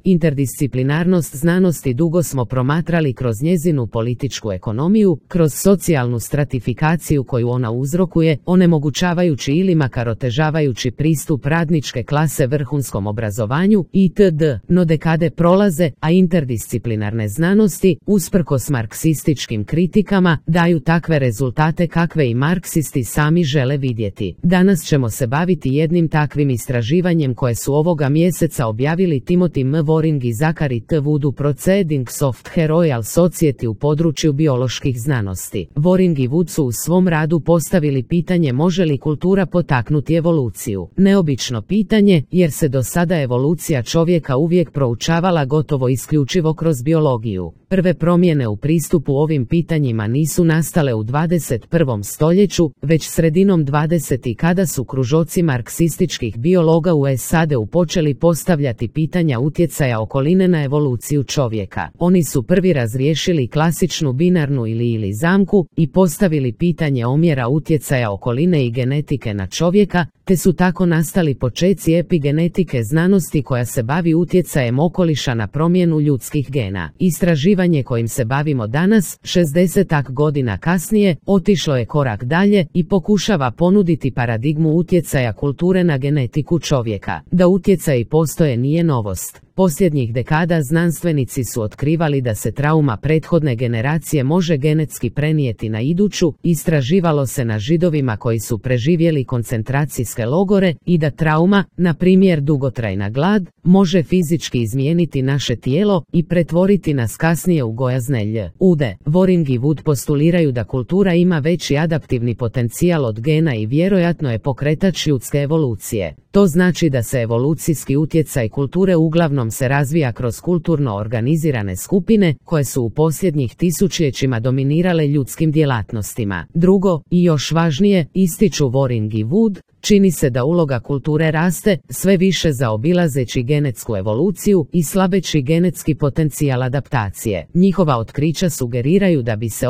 Interdisciplinarnost znanosti dugo smo promatrali kroz njezinu političku ekonomiju, kroz socijalnu stratifikaciju koju ona uzrokuje, onemogućavajući ili makar otežavajući pristup radničke klase vrhunskom obrazovanju itd. No dekade prolaze, a interdisciplinarne znanosti, usprkos marksističkim kritikama, daju takve rezultate kakve i marksisti sami žele vidjeti. Danas ćemo se baviti jednim takvim istraživanjem koje su ovoga mjeseca objavili Timothy M. Waring i Zachary T. Wood u Proceedings of the Royal Society u području bioloških znanosti. Waring i Wood su u svom radu postavili pitanje može li kultura potaknuti evoluciju. Neobično pitanje, jer se do sada evolucija čovjeka uvijek proučavala gotovo isključivo kroz biologiju. Prve promjene u pristupu ovim pitanjima nisu nastale u 21. stoljeću, već sredinom 20. kada su kružoci marksističkih biologa u SAD-u počeli postavljati pitanja utjecaja okoline na evoluciju čovjeka. Oni su prvi razriješili klasičnu binarnu ili zamku i postavili pitanje omjera utjecaja okoline i genetike na čovjeka, te su tako nastali počeci epigenetike znanosti koja se bavi utjecajem okoliša na promjenu ljudskih gena. Istraživanje kojim se bavimo danas, 60 godina kasnije, otišlo je korak dalje i pokušava ponuditi paradigmu utjecaja kulture na genetiku čovjeka. Da utjecaji postoje nije novost. Posljednjih dekada znanstvenici su otkrivali da se trauma prethodne generacije može genetski prenijeti na iduću, istraživalo se na Židovima koji su preživjeli koncentracijske logore i da trauma, na primjer dugotrajna glad, može fizički izmijeniti naše tijelo i pretvoriti nas kasnije u gojazne ljude. Waring i Wood postuliraju da kultura ima veći adaptivni potencijal od gena i vjerojatno je pokretač ljudske evolucije. To znači da se evolucijski utjecaj kulture uglavnom se razvija kroz kulturno organizirane skupine koje su u posljednjih tisućljećima dominirale ljudskim djelatnostima. Drugo, i još važnije, ističu Waring i Wood, čini se da uloga kulture raste, sve više zaobilazeći genetsku evoluciju i slabeći genetski potencijal adaptacije. Njihova otkrića sugeriraju da bi se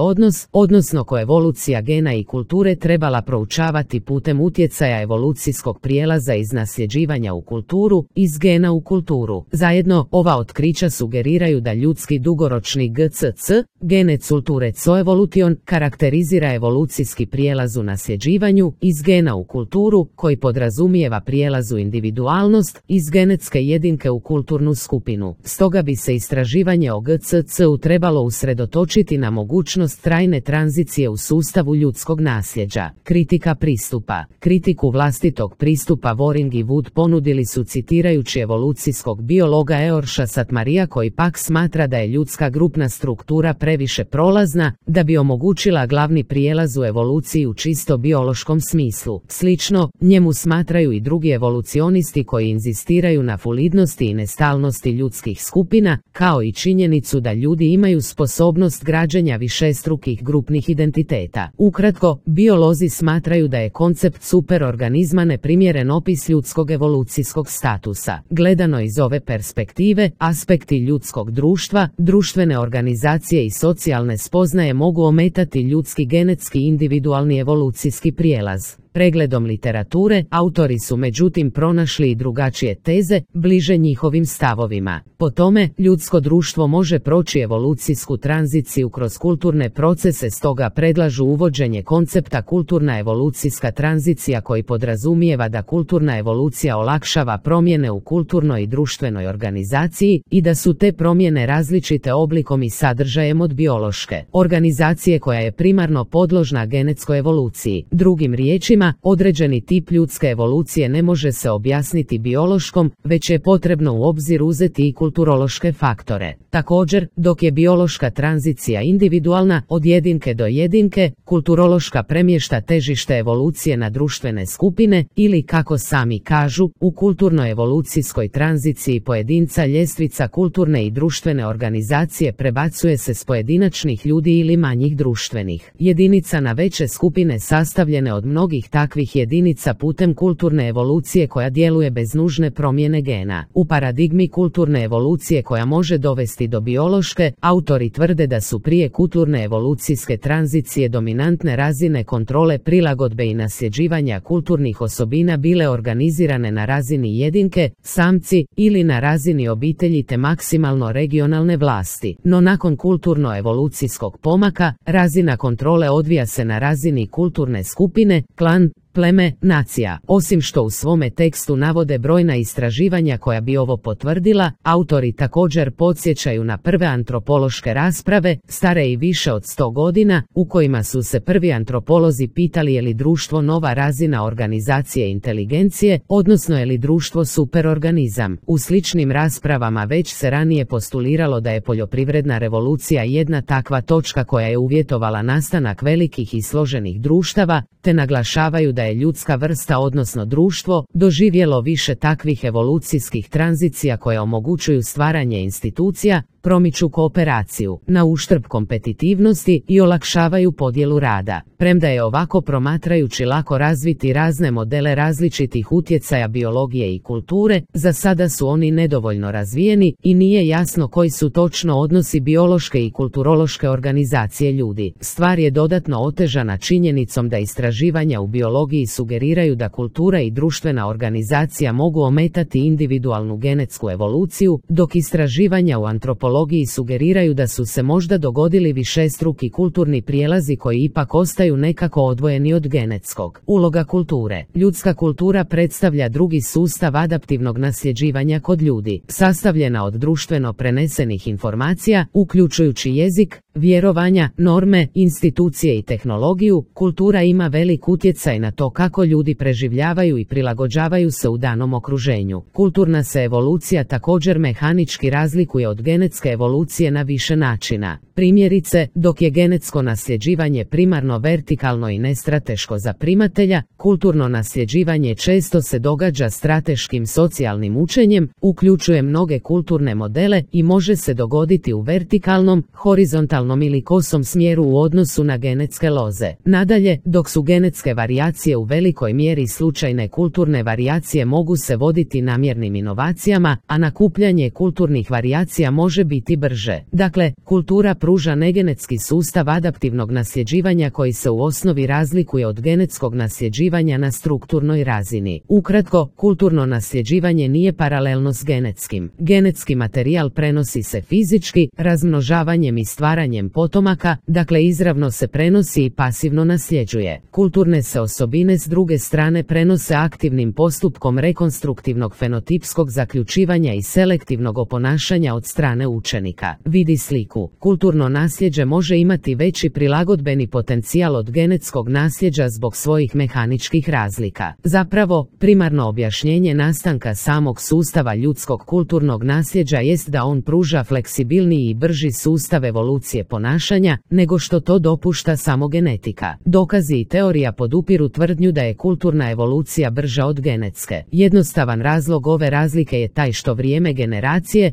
odnosno koevolucija gena i kulture trebala proučavati putem utjecaja evolucijskog prijelaza iz nasljeđivanja u kulturu, iz gena u kulturu. Zajedno, ova otkrića sugeriraju da ljudski dugoročni GCC, genet culture coevolution, karakterizira evolucijski prijelaz u nasljeđivanju, iz gena u kulturu, koji podrazumijeva prijelaz u individualnost, iz genetske jedinke u kulturnu skupinu. Stoga bi se istraživanje o GCC-u trebalo usredotočiti na mogućnost trajne tranzicije u sustavu ljudskog nasljeđa. Kritika pristupa. Kritiku vlastitog pristupa Waring i Wood ponudili su citirajući evolucijskog biologa Eorsha Satmarija koji pak smatra da je ljudska grupna struktura previše prolazna, da bi omogućila glavni prijelaz u evoluciji u čisto biološkom smislu. Slično, njemu smatraju i drugi evolucionisti koji inzistiraju na fluidnosti i nestalnosti ljudskih skupina, kao i činjenicu da ljudi imaju sposobnost građenja višestrukih grupnih identiteta. Ukratko, biolozi smatraju da je koncept superorganizma neprimjeren opis ljudskog evolucijskog statusa. Gledano iz ove perspektive, aspekti ljudskog društva, društvene organizacije i socijalne spoznaje mogu ometati ljudski genetski individualni evolucijski prijelaz. Pregledom literature, autori su međutim pronašli i drugačije teze, bliže njihovim stavovima. Po tome, ljudsko društvo može proći evolucijsku tranziciju kroz kulturne procese, stoga predlažu uvođenje koncepta kulturna evolucijska tranzicija koji podrazumijeva da kulturna evolucija olakšava promjene u kulturnoj i društvenoj organizaciji i da su te promjene različite oblikom i sadržajem od biološke organizacije koja je primarno podložna genetskoj evoluciji. Drugim riječima, određeni tip ljudske evolucije ne može se objasniti biološkom, već je potrebno u obzir uzeti i kulturološke faktore. Također, dok je biološka tranzicija individualna, od jedinke do jedinke, kulturološka premješta težište evolucije na društvene skupine ili, kako sami kažu, u kulturno-evolucijskoj tranziciji pojedinca ljestvica kulturne i društvene organizacije prebacuje se s pojedinačnih ljudi ili manjih društvenih jedinica na veće skupine sastavljene od mnogih takvih jedinica putem kulturne evolucije koja djeluje bez nužne promjene gena. U paradigmi kulturne evolucije koja može dovesti do biološke, autori tvrde da su prije kulturne evolucijske tranzicije dominantne razine kontrole prilagodbe i nasljeđivanja kulturnih osobina bile organizirane na razini jedinke, samci ili na razini obitelji te maksimalno regionalne vlasti. No nakon kulturno-evolucijskog pomaka, razina kontrole odvija se na razini kulturne skupine, klan, pleme, nacija. Osim što u svome tekstu navode brojna istraživanja koja bi ovo potvrdila, autori također podsjećaju na prve antropološke rasprave, stare i više od 100 godina, u kojima su se prvi antropolozi pitali je li društvo nova razina organizacije inteligencije, odnosno je li društvo superorganizam. U sličnim raspravama već se ranije postuliralo da je poljoprivredna revolucija jedna takva točka koja je uvjetovala nastanak velikih i složenih društava, te naglašavaju da je ljudska vrsta odnosno društvo doživjelo više takvih evolucijskih tranzicija koje omogućuju stvaranje institucija, promiču kooperaciju, na uštrb kompetitivnosti i olakšavaju podjelu rada. Premda je ovako promatrajući lako razviti razne modele različitih utjecaja biologije i kulture, za sada su oni nedovoljno razvijeni i nije jasno koji su točno odnosi biološke i kulturološke organizacije ljudi. Stvar je dodatno otežana činjenicom da istraživanja u biologiji sugeriraju da kultura i društvena organizacija mogu ometati individualnu genetsku evoluciju, dok istraživanja u antropologiji sugeriraju da su se možda dogodili višestruki kulturni prijelazi koji ipak ostaju nekako odvojeni od genetskog. Uloga kulture. Ljudska kultura predstavlja drugi sustav adaptivnog nasljeđivanja kod ljudi, sastavljena od društveno prenesenih informacija, uključujući jezik, vjerovanja, norme, institucije i tehnologiju. Kultura ima velik utjecaj na to kako ljudi preživljavaju i prilagođavaju se u danom okruženju. Kulturna se evolucija također mehanički razlikuje od genetske evolucije na više načina. Primjerice, dok je genetsko nasljeđivanje primarno vertikalno i nestrateško za primatelja, kulturno nasljeđivanje često se događa strateškim socijalnim učenjem, uključuje mnoge kulturne modele i može se dogoditi u vertikalnom, horizontalnom ili kosom smjeru u odnosu na genetske loze. Nadalje, dok su genetske varijacije u velikoj mjeri slučajne, kulturne varijacije mogu se voditi namjernim inovacijama, a nakupljanje kulturnih varijacija može biti brže. Dakle, kultura pruža negenetski sustav adaptivnog nasljeđivanja koji se u osnovi razlikuje od genetskog nasljeđivanja na strukturnoj razini. Ukratko, kulturno nasljeđivanje nije paralelno s genetskim. Genetski materijal prenosi se fizički, razmnožavanjem i stvaranjem potomaka, dakle izravno se prenosi i pasivno nasljeđuje. Kulturne se osobine s druge strane prenose aktivnim postupkom rekonstruktivnog fenotipskog zaključivanja i selektivnog oponašanja od strane učenika. Vidi sliku. Kulturno nasljeđe može imati veći prilagodbeni potencijal od genetskog nasljeđa zbog svojih mehaničkih razlika. Zapravo, primarno objašnjenje nastanka samog sustava ljudskog kulturnog nasljeđa jest da on pruža fleksibilniji i brži sustav evolucije ponašanja, nego što to dopušta samo genetika. Dokazi i teorija podupiru tvrdnju da je kulturna evolucija brža od genetske. Jednostavan razlog ove razlike je taj što vrijeme generacije,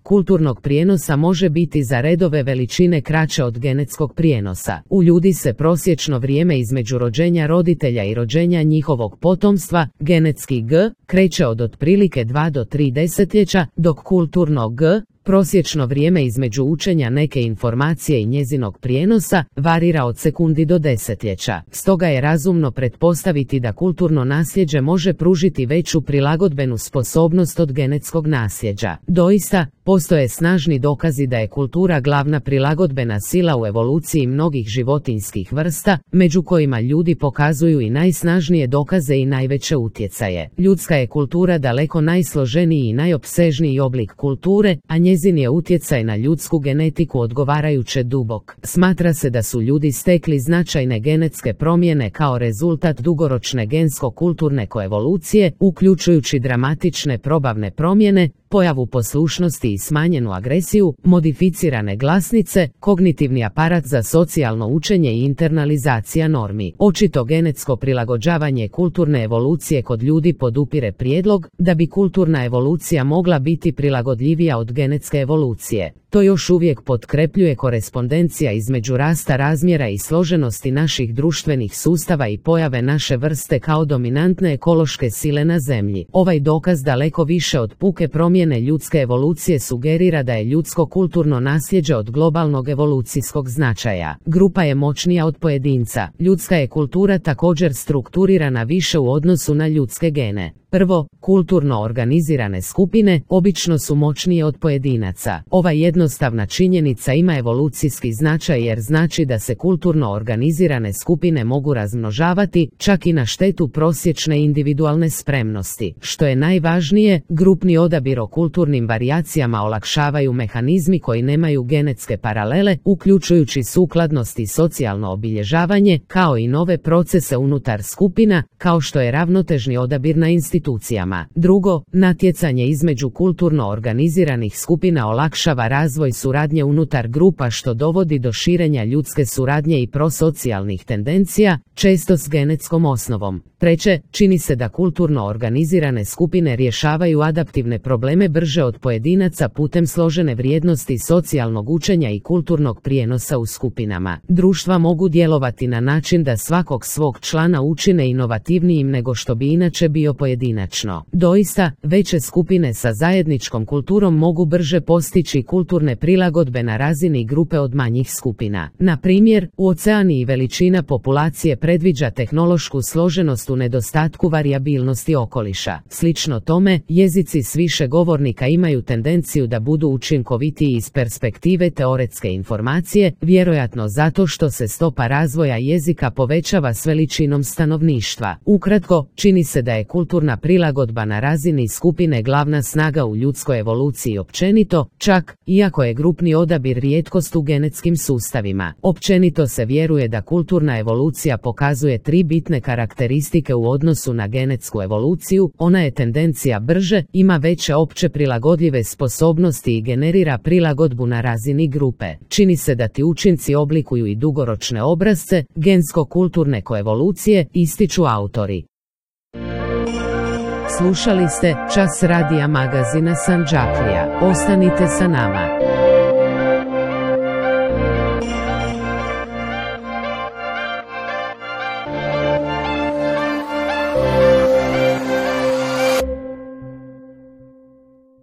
kulturnog prijenosa može biti za redove veličine kraće od genetskog prijenosa. U ljudi se prosječno vrijeme između rođenja roditelja i rođenja njihovog potomstva, genetski kreće od otprilike 2 do 3 desetljeća, dok kulturno prosječno vrijeme između učenja neke informacije i njezinog prijenosa varira od sekundi do desetljeća. Stoga je razumno pretpostaviti da kulturno nasljeđe može pružiti veću prilagodbenu sposobnost od genetskog nasljeđa. Doista, postoje snažni dokazi da je kultura glavna prilagodbena sila u evoluciji mnogih životinjskih vrsta, među kojima ljudi pokazuju i najsnažnije dokaze i najveće utjecaje. Ljudska je kultura daleko najsloženiji i najopsežniji oblik kulture, a njezin je utjecaj na ljudsku genetiku odgovarajuće dubok. Smatra se da su ljudi stekli značajne genetske promjene kao rezultat dugoročne gensko-kulturne koevolucije, uključujući dramatične probavne promjene, pojavu poslušnosti i smanjenu agresiju, modificirane glasnice, kognitivni aparat za socijalno učenje i internalizacija normi. Očito genetsko prilagođavanje kulturne evolucije kod ljudi podupire prijedlog da bi kulturna evolucija mogla biti prilagodljivija od genetske evolucije. to još uvijek potkrepljuje korespondencija između rasta razmjera i složenosti naših društvenih sustava i pojave naše vrste kao dominantne ekološke sile na Zemlji. Ovaj dokaz daleko više od puke promjene ljudske evolucije sugerira da je ljudsko kulturno nasljeđe od globalnog evolucijskog značaja. Grupa je moćnija od pojedinca. Ljudska je kultura također strukturirana više u odnosu na ljudske gene. Prvo, kulturno organizirane skupine obično su moćnije od pojedinaca. Ova jednostavna činjenica ima evolucijski značaj jer znači da se kulturno organizirane skupine mogu razmnožavati čak i na štetu prosječne individualne spremnosti. Što je najvažnije, grupni odabir o kulturnim varijacijama olakšavaju mehanizmi koji nemaju genetske paralele, uključujući sukladnost i socijalno obilježavanje, kao i nove procese unutar skupina, kao što je ravnotežni odabir na institucijama. Drugo, natjecanje između kulturno organiziranih skupina olakšava razvoj suradnje unutar grupa što dovodi do širenja ljudske suradnje i prosocijalnih tendencija, često s genetskom osnovom. Treće, čini se da kulturno organizirane skupine rješavaju adaptivne probleme brže od pojedinaca putem složene vrijednosti socijalnog učenja i kulturnog prijenosa u skupinama. Društva mogu djelovati na način da svakog svog člana učine inovativnijim nego što bi inače bio pojedinačno. Doista, veće skupine sa zajedničkom kulturom mogu brže postići kulturne prilagodbe na razini grupe od manjih skupina. Na primjer, u Oceaniji veličina populacije predviđa tehnološku složenost u nedostatku varijabilnosti okoliša. Slično tome, jezici s više govornika imaju tendenciju da budu učinkovitiji iz perspektive teoretske informacije, vjerojatno zato što se stopa razvoja jezika povećava s veličinom stanovništva. Ukratko, čini se da je kulturna prilagodba na razini skupine glavna snaga u ljudskoj evoluciji općenito, čak iako je grupni odabir rijetkost u genetskim sustavima. Općenito se vjeruje da kulturna evolucija pokazuje tri bitne karakteristike u odnosu na genetsku evoluciju. Ona je tendencija brže, ima veće opće prilagodljive sposobnosti i generira prilagodbu na razini grupe. Čini se da ti učinci oblikuju i dugoročne obrazce gensko-kulturne koevolucije, ističu autori. Slušali ste Čas radija magazina Sandžaklija. Ostanite sa nama.